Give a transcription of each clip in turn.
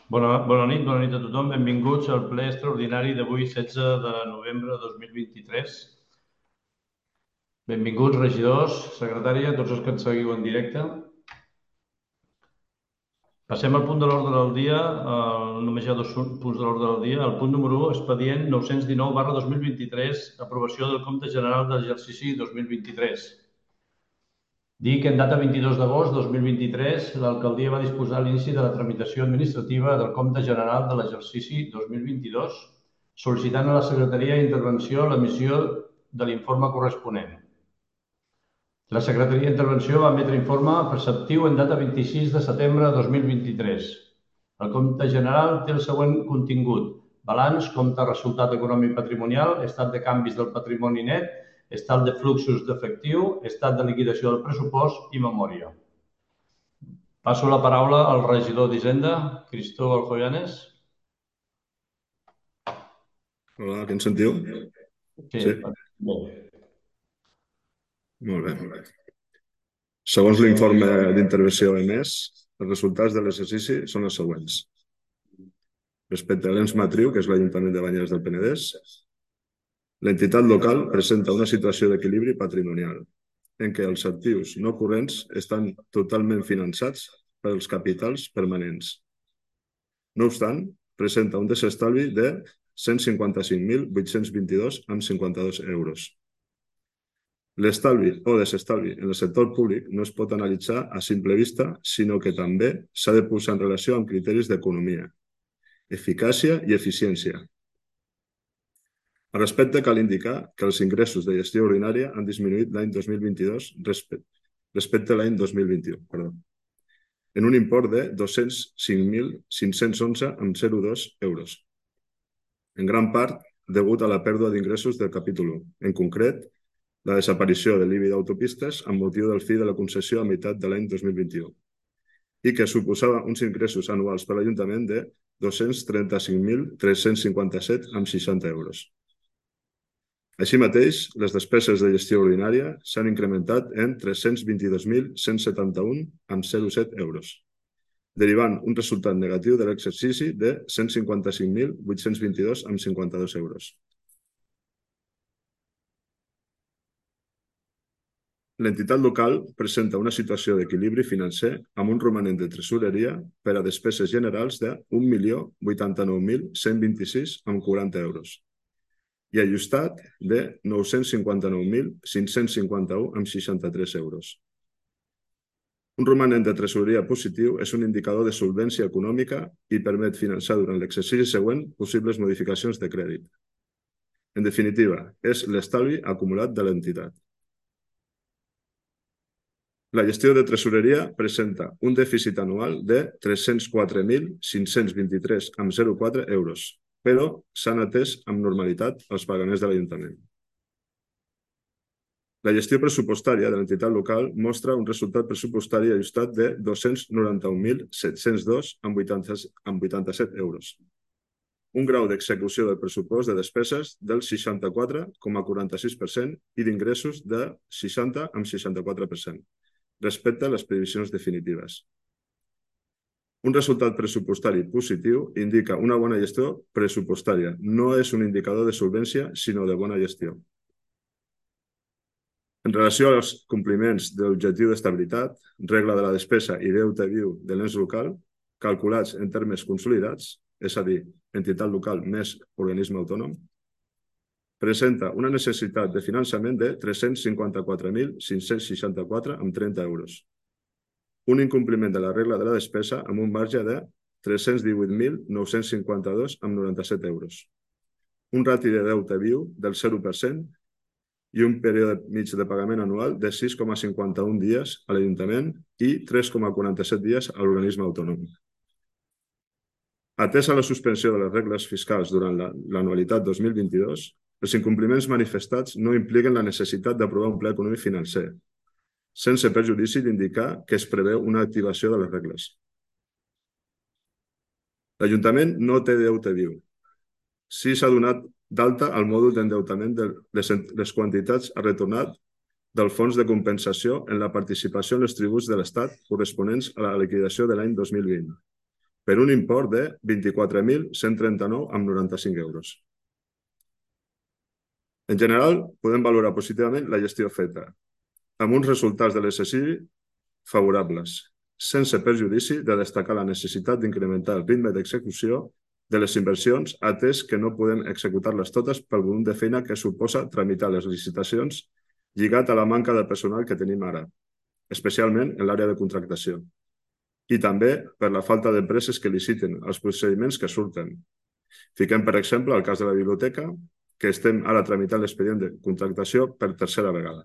Bona nit a tothom. Benvinguts al ple extraordinari d'avui, 16 de novembre de 2023. Benvinguts, regidors, secretària, tots els que ens seguiu en directe. Passem al punt de l'ordre del dia. Només hi ha dos punts de l'ordre del dia. El punt número 1, expedient 919/2023, aprovació del compte general de l'exercici 2023. Dir que en data 22 d'agost de 2023 l'alcaldia va disposar l'inici de la tramitació administrativa del compte general de l'exercici 2022, sol·licitant a la Secretaria d'Intervenció l'emissió de l'informe corresponent. La Secretaria d'Intervenció va emetre informe preceptiu en data 26 de setembre de 2023. El compte general té el següent contingut: balanç, compte resultat econòmic patrimonial, estat de canvis del patrimoni net, estat de fluxos d'efectiu, estat de liquidació del pressupost i memòria. Passo la paraula al regidor d'Hisenda, Cristóbal Joyanes. Hola, què en sentiu? Sí. Molt bé. Segons l'informe d'intervenció emès, els resultats de l'exercici són els següents. Respecte a l'ens matriu, que és l'Ajuntament de Banyeres del Penedès, l'entitat local presenta una situació d'equilibri patrimonial, en què els actius no corrents estan totalment finançats pels capitals permanents. No obstant, presenta un desestalvi de 155.822,52 euros. L'estalvi o desestalvi en el sector públic no es pot analitzar a simple vista, sinó que també s'ha de posar en relació amb criteris d'economia, eficàcia i eficiència. Al respecte, cal indicar que els ingressos de gestió ordinària han disminuït l'any 2022 respecte a l'any 2021, en un import de 205.511,02 euros, en gran part degut a la pèrdua d'ingressos del capítol 1, en concret, la desaparició de l'IBI d'autopistes amb motiu del fi de la concessió a meitat de l'any 2021 i que suposava uns ingressos anuals per a l'Ajuntament de 235.357,60 euros. Així mateix, les despeses de gestió ordinària s'han incrementat en 322.171,07 euros, derivant un resultat negatiu de l'exercici de 155.822,52 euros. L'entitat local presenta una situació d'equilibri financer amb un romanent de tresoreria per a despeses generals de 1.089.126,40 euros i ajustat de 959.551,63 euros. Un romanent de tresoreria positiu és un indicador de solvència econòmica i permet finançar durant l'exercici següent possibles modificacions de crèdit. En definitiva, és l'estalvi acumulat de l'entitat. La gestió de tresoreria presenta un dèficit anual de 304.523,04 euros, però s'han atès amb normalitat els pagaments de l'Ajuntament. La gestió pressupostària de l'entitat local mostra un resultat pressupostari ajustat de 291.702,87 euros. Un grau d'execució del pressupost de despeses del 64,46% i d'ingressos de 60,64%. respecte a les previsions definitives. Un resultat pressupostari positiu indica una bona gestió pressupostària. No és un indicador de solvència, sinó de bona gestió. En relació als compliments de l'objectiu d'estabilitat, regla de la despesa i deute viu de l'ens local, calculats en termes consolidats, és a dir, entitat local més organisme autònom, presenta una necessitat de finançament de 354.564,30 euros. Un incompliment de la regla de la despesa amb un marge de 318.952,97 euros. Un rati de deute viu del 0% i un període mig de pagament anual de 6,51 dies a l'Ajuntament i 3,47 dies a l'organisme autònom. Atesa la suspensió de les regles fiscals durant l'anualitat 2022, els incompliments manifestats no impliquen la necessitat d'aprovar un pla econòmic financer, sense perjudici d'indicar que es preveu una activació de les regles. L'Ajuntament no té deute viu. Sí s'ha donat d'alta al mòdul d'endeutament de les quantitats a retornar del fons de compensació en la participació en els tributs de l'Estat corresponents a la liquidació de l'any 2020. per un import de 24.139,95 euros. En general, podem valorar positivament la gestió feta, amb uns resultats de l'exercici favorables, sense perjudici de destacar la necessitat d'incrementar el ritme d'execució de les inversions, atès que no podem executar-les totes pel volum de feina que suposa tramitar les licitacions lligat a la manca de personal que tenim ara, especialment en l'àrea de contractació, i també per la falta d'empreses que liciten els procediments que surten. Fiquem, per exemple, el cas de la biblioteca, que estem ara tramitant l'expedient de contractació per tercera vegada.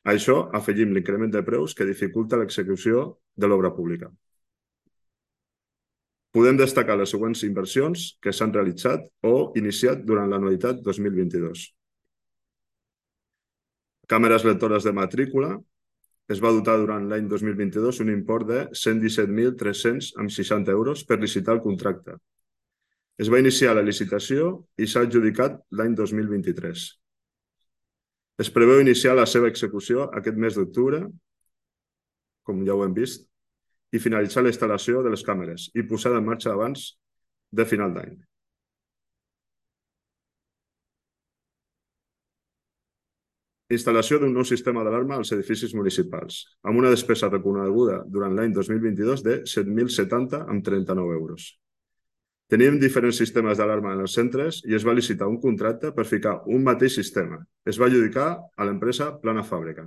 A això afegim l'increment de preus que dificulta l'execució de l'obra pública. Podem destacar les següents inversions que s'han realitzat o iniciat durant l'anualitat 2022. Càmeres lectores de matrícula. Es va dotar durant l'any 2022 un import de 117.360 euros per licitar el contracte. Es va iniciar la licitació i s'ha adjudicat l'any 2023. Es preveu iniciar la seva execució aquest mes d'octubre, com ja ho hem vist, i finalitzar la instal·lació de les càmeres i posar en marxa abans de final d'any. Instal·lació d'un nou sistema d'alarma als edificis municipals, amb una despesa reconeguda durant l'any 2022 de 7.070,39 euros. Teníem diferents sistemes d'alarma en els centres i es va licitar un contracte per ficar un mateix sistema. Es va adjudicar a l'empresa Plana Fàbrica.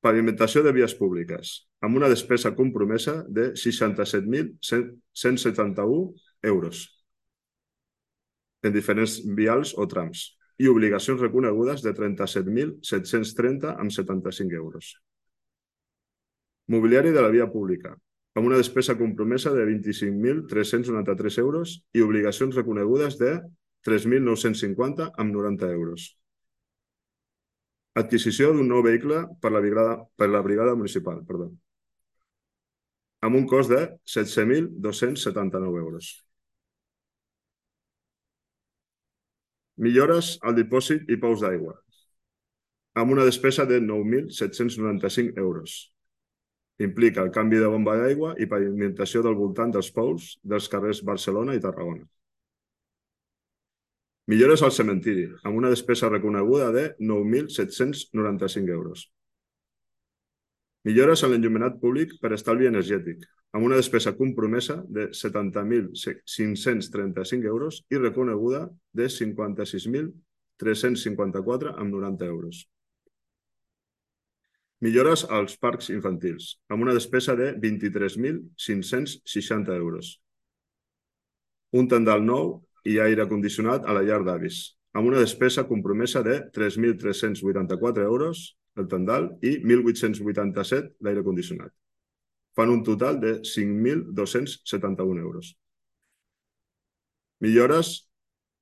Pavimentació de vies públiques, amb una despesa compromesa de 67.171 euros en diferents vials o trams i obligacions reconegudes de 37.730,75 euros. Mobiliari de la via pública, amb una despesa compromesa de 25.393 euros i obligacions reconegudes de 3.950,90 euros. Adquisició d'un nou vehicle per la brigada municipal, amb un cost de 16.279 euros. Millores al dipòsit i pous d'aigua, amb una despesa de 9.795 euros. Implica el canvi de bomba d'aigua i pavimentació del voltant dels pous dels carrers Barcelona i Tarragona. Millores al cementiri, amb una despesa reconeguda de 9.795 euros. Millores en l'enllumenat públic per estalvi energètic, amb una despesa compromesa de 70.535 euros i reconeguda de 56.354,90 euros. Millores als parcs infantils, amb una despesa de 23.560 euros. Un tendal nou i aire condicionat a la llar d'avis, amb una despesa compromesa de 3.384 euros el tendal i 1.887 l'aire condicionat. Fan un total de 5.271 euros. Millores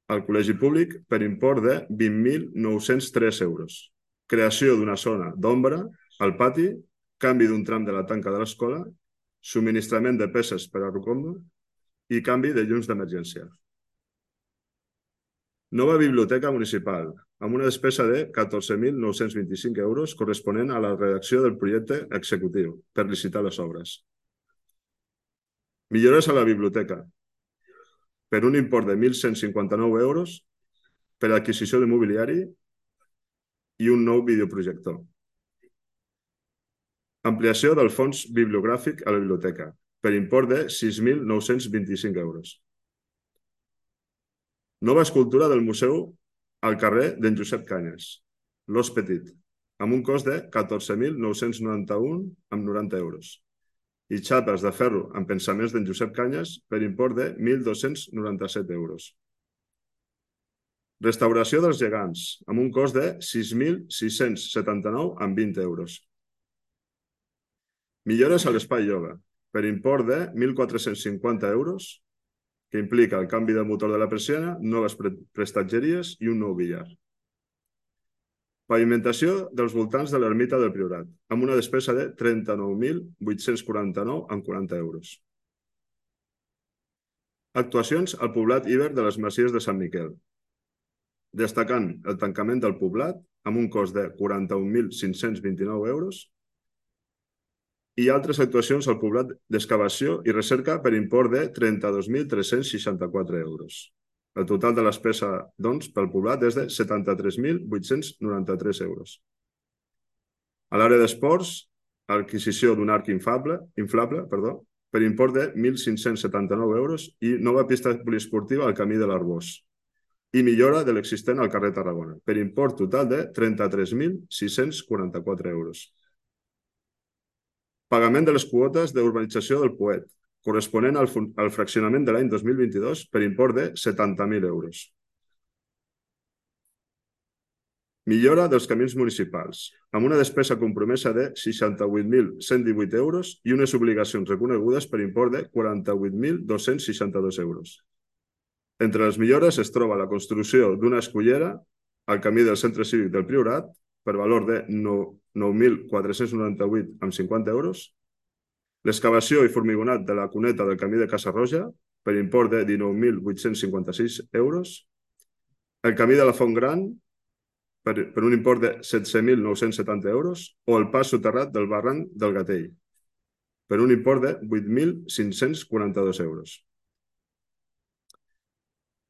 al col·legi públic per import de 20.903 euros. Creació d'una zona d'ombra al pati, canvi d'un tram de la tanca de l'escola, subministrament de peces per a Rucombo i canvi de llums d'emergència. Nova biblioteca municipal, amb una despesa de 14.925 euros corresponent a la redacció del projecte executiu per licitar les obres. Millores a la biblioteca, per un import de 1.159 euros per a adquisició de mobiliari i un nou videoprojector. Ampliació del fons bibliogràfic a la biblioteca, per import de 6.925 euros. Nova escultura del museu al carrer d'en Josep Canyes, l'Os Petit, amb un cost de 14.991,90 euros. I xapes de ferro amb pensaments d'en Josep Canyes per import de 1.297 euros. Restauració dels gegants, amb un cost de 6.679,20 euros. Millores a l'espai ioga, per import de 1.450 euros, que implica el canvi del motor de la persiana, noves prestatgeries i un nou billar. Pavimentació dels voltants de l'ermita del Priorat, amb una despesa de 39.849,40 euros. Actuacions al poblat Iber de les Masies de Sant Miquel, destacant el tancament del poblat amb un cost de 41.529 euros, i altres actuacions al poblat d'excavació i recerca per import de 32.364 euros. El total de la despesa, doncs, pel poblat és de 73.893 euros. A l'àrea d'esports, adquisició d'un arc inflable, per import de 1.579 euros i nova pista poliesportiva al camí de l'Arbós i millora de l'existent al carrer Tarragona, per import total de 33.644 euros. Pagament de les quotes d'urbanització del Poet, corresponent al fraccionament de l'any 2022 per import de 70.000 euros. Millora dels camins municipals, amb una despesa compromesa de 68.118 euros i unes obligacions reconegudes per import de 48.262 euros. Entre les millores es troba la construcció d'una escullera al camí del Centre Cívic del Priorat per valor de 9.498,50 euros, l'excavació i formigonat de la cuneta del camí de Casa Roja per import de 19.856 euros, el camí de la Font Gran per un import de 16.970 euros o el pas soterrat del barranc del Gatell per un import de 8.542 euros.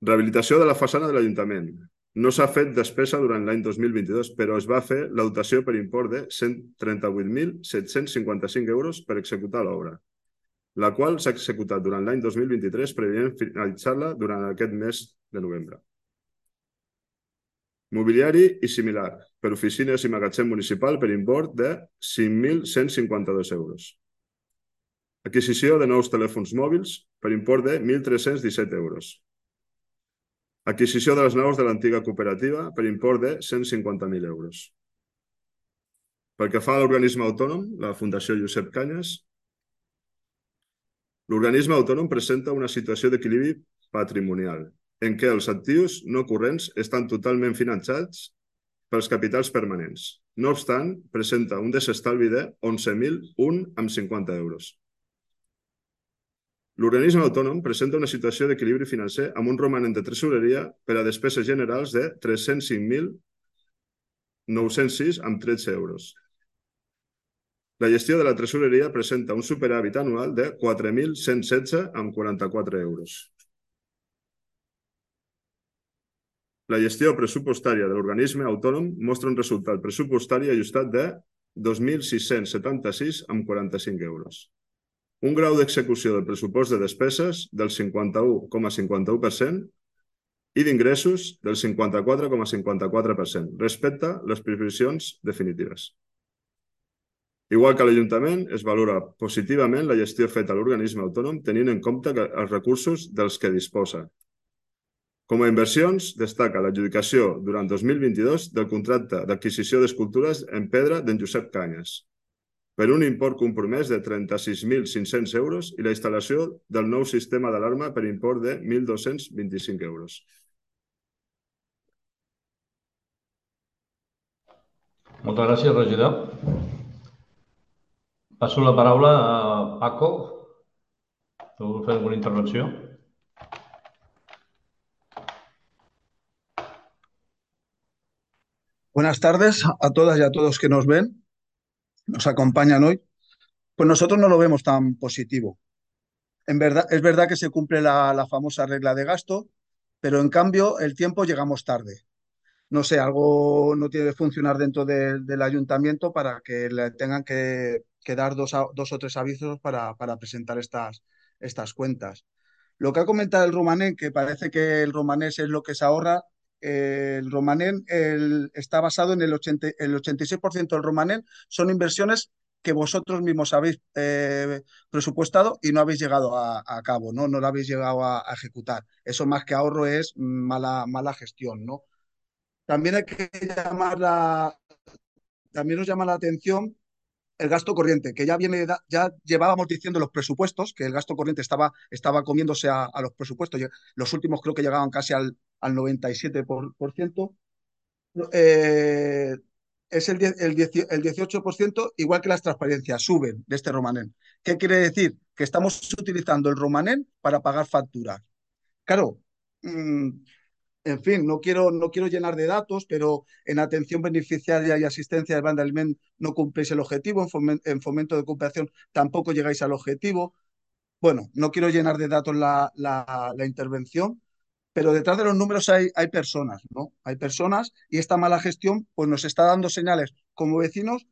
Rehabilitació de la façana de l'Ajuntament. No s'ha fet despesa durant l'any 2022, però es va fer la dotació per import de 138.755 euros per executar l'obra, la qual s'ha executat durant l'any 2023, preveient finalitzar-la durant aquest mes de novembre. Mobiliari i similar, per oficines i magatzem municipal per import de 5.152 euros. Adquisició de nous telèfons mòbils per import de 1.317 euros. Adquisició de les naus de l'antiga cooperativa per import de 150.000 euros. Pel que fa a l'organisme autònom, la Fundació Josep Canyes, l'organisme autònom presenta una situació d'equilibri patrimonial, en què els actius no corrents estan totalment finançats pels capitals permanents. No obstant, presenta un desestalvi de 11.001,50 euros. L'organisme autònom presenta una situació d'equilibri financer amb un romanent de tresoreria per a despeses generals de 305.906,13 euros. La gestió de la tresoreria presenta un superàvit anual de 4.116,44 euros. La gestió pressupostària de l'organisme autònom mostra un resultat pressupostari ajustat de 2.676,45 euros. Un grau d'execució del pressupost de despeses del 51,51% i d'ingressos del 54,54% respecte a les previsions definitives. Igual que a l'Ajuntament, es valora positivament la gestió feta a l'organisme autònom tenint en compte els recursos dels que disposa. Com a inversions, destaca l'adjudicació durant 2022 del contracte d'adquisició d'escultures en pedra d'en Josep Canyes, per un import compromès de 36.500 euros i la instal·lació del nou sistema d'alarma per import de 1.225 euros. Moltes gràcies, regidor. Passo la paraula a Paco. ¿Vol fer alguna intervenció? Buenas tardes a todas y a todos que nos ven, nos acompañan hoy. Pues nosotros no lo vemos tan positivo. Es verdad que se cumple la famosa regla de gasto, pero en cambio el tiempo llegamos tarde. No sé, algo no tiene que funcionar dentro del ayuntamiento para que le tengan que dar dos o tres avisos para presentar estas cuentas. Lo que ha comentado el Romanén, que parece que el romanés es lo que se ahorra, el Romanén está basado en el 86% del Romanén son inversiones que vosotros mismos habéis presupuestado y no habéis llegado a cabo, ¿no? No lo habéis llegado a ejecutar. Eso más que ahorro es mala gestión, ¿no? También hay que también nos llama la atención el gasto corriente, que ya llevábamos diciendo los presupuestos, que el gasto corriente estaba comiéndose a los presupuestos. Los últimos creo que llegaban casi al 97%. Eh, es el 18%, igual que las transparencias, suben de este Romanén. ¿Qué quiere decir? Que estamos utilizando el Romanén para pagar facturas. Claro, En fin, no quiero llenar de datos, pero en atención beneficiaria y asistencia de banda aliment no cumplís el objetivo, en fomento de cooperación tampoco llegáis al objetivo. Bueno, no quiero llenar de datos la intervención, pero detrás de los números hay personas, ¿no? Hay personas y esta mala gestión pues nos está dando señales como vecinos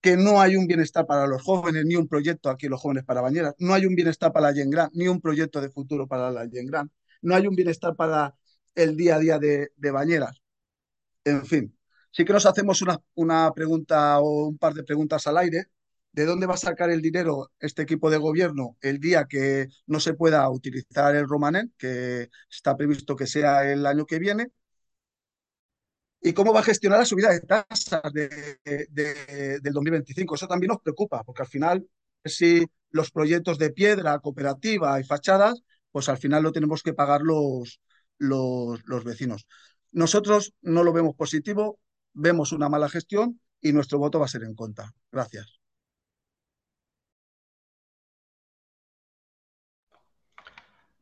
que no hay un bienestar para los jóvenes, ni un proyecto aquí los jóvenes para Bañeras, no hay un bienestar para la Gent Gran, ni un proyecto de futuro para la Gent Gran, no hay un bienestar para el día a día de Bañeras. En fin, sí que nos hacemos una pregunta o un par de preguntas al aire. ¿De dónde va a sacar el dinero este equipo de gobierno el día que no se pueda utilizar el Romanet, que está previsto que sea el año que viene? ¿Y cómo va a gestionar la subida de tasas del 2025? Eso también nos preocupa, porque al final, si los proyectos de piedra, cooperativa y fachadas, pues al final lo tenemos que pagar los vecinos. Nosotros no lo vemos positivo, vemos una mala gestión y nuestro voto va a ser en contra. Gracias.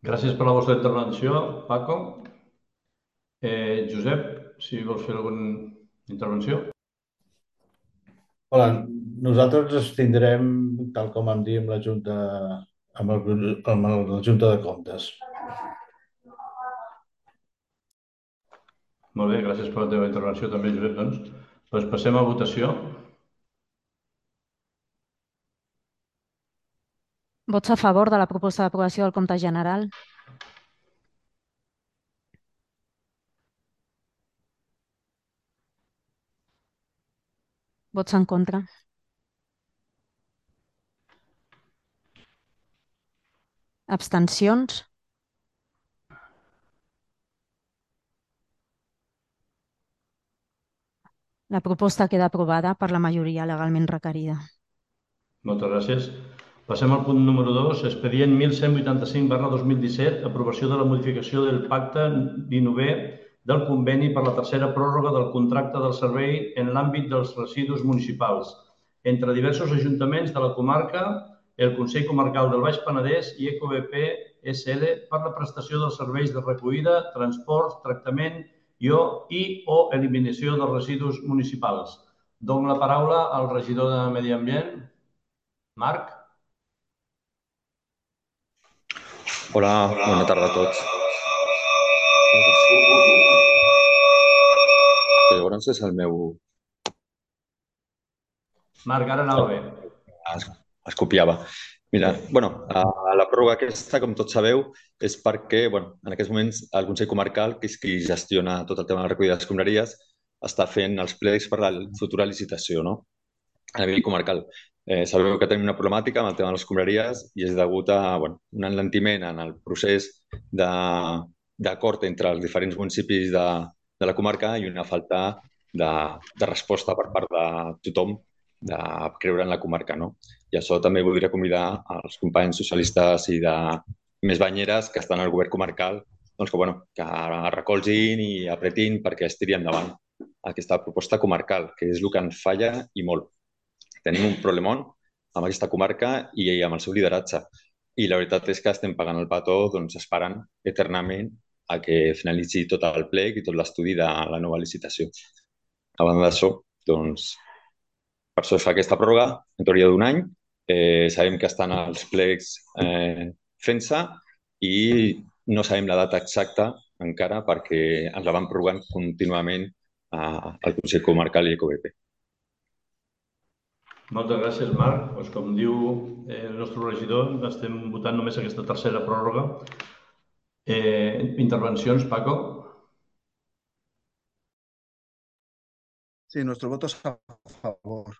Gràcies per la vostra intervenció, Paco. Josep, si vols fer alguna intervenció. Hola, nosaltres ens abstindrem tal com vam dir amb la Junta, amb la Junta de Comptes. Molt bé, gràcies per la teva intervenció també, Josep. Doncs passem a votació. Vots a favor de la proposta d'aprovació del compte general? Vots en contra? Abstencions? La proposta queda aprovada per la majoria legalment requerida. Moltes gràcies. Passem al punt número 2, expedient 1185/2017, aprovació de la modificació del pacte 19è del conveni per la tercera pròrroga del contracte del servei en l'àmbit dels residus municipals entre diversos ajuntaments de la comarca, el Consell Comarcal del Baix Penedès i EcoBP SL per la prestació dels serveis de recollida, transport, tractament i o eliminació dels residus municipals. Dono la paraula al regidor de Medi Ambient, Marc. Hola, bona tarda a tots. Llavors és el meu... Marc, ara anava bé. Es copiava. Mira, la pròrroga aquesta, com tots sabeu, és perquè en aquests moments el Consell Comarcal, que és qui gestiona tot el tema de la recollida d'escombraries, està fent els plecs per la futura licitació, no? A nivell comarcal. Sabeu que tenim una problemàtica amb el tema de les escombraries i és degut a un enlentiment en el procés d'acord entre els diferents municipis de la comarca i una falta de resposta per part de tothom de creure en la comarca, no? I això també voldria convidar els companys socialistes i de més banyeres que estan al govern comarcal que recolzin i apretin perquè es tiri endavant aquesta proposta comarcal, que és el que ens falla i molt. Tenim un problemón amb aquesta comarca i amb el seu lideratge. I la veritat és que estem pagant el petó esperant eternament a que finalitzi tot el plec i tot l'estudi de la nova licitació. A banda d'això, per això es fa aquesta pròrroga, en teoria d'un any. Sabem que estan els plecs fent-se i no sabem la data exacta encara perquè ens la van prorrogant contínuament al Consell Comarcal i EcoBP. Moltes gràcies, Marc. Com diu el nostre regidor, estem votant només aquesta tercera pròrroga. Intervencions, Paco? Sí, nuestro voto es a favor.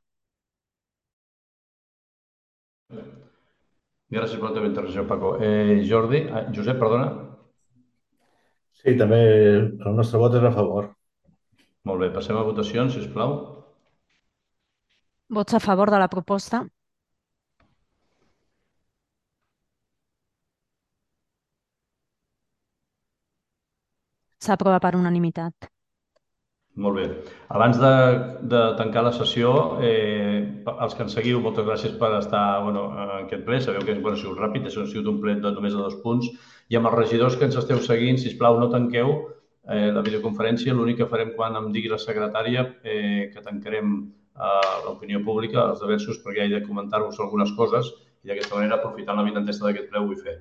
Gràcies per la teva intervenció, Paco. Josep, perdona. Sí, també el nostre vot és a favor. Molt bé, passem a votacions, sisplau. Vots a favor de la proposta? S'aprova per unanimitat. Molt bé. Abans de tancar la sessió, els que ens seguiu, moltes gràcies per estar en aquest ple. Sabeu que ha sigut ràpid, això ha sigut un ple només de 2 punts. I amb els regidors que ens esteu seguint, sisplau, no tanqueu la videoconferència. L'únic que farem quan em digui la secretària que tancarem l'opinió pública, els diversos, perquè he de comentar-vos algunes coses i d'aquesta manera, aprofitant la vinentesa d'aquest ple, ho vull fer.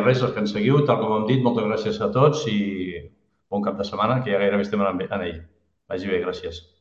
Res, els que ens seguiu, tal com hem dit, moltes gràcies a tots i bon cap de setmana, que ja gairebé estem en ell. Vagi bé, gràcies.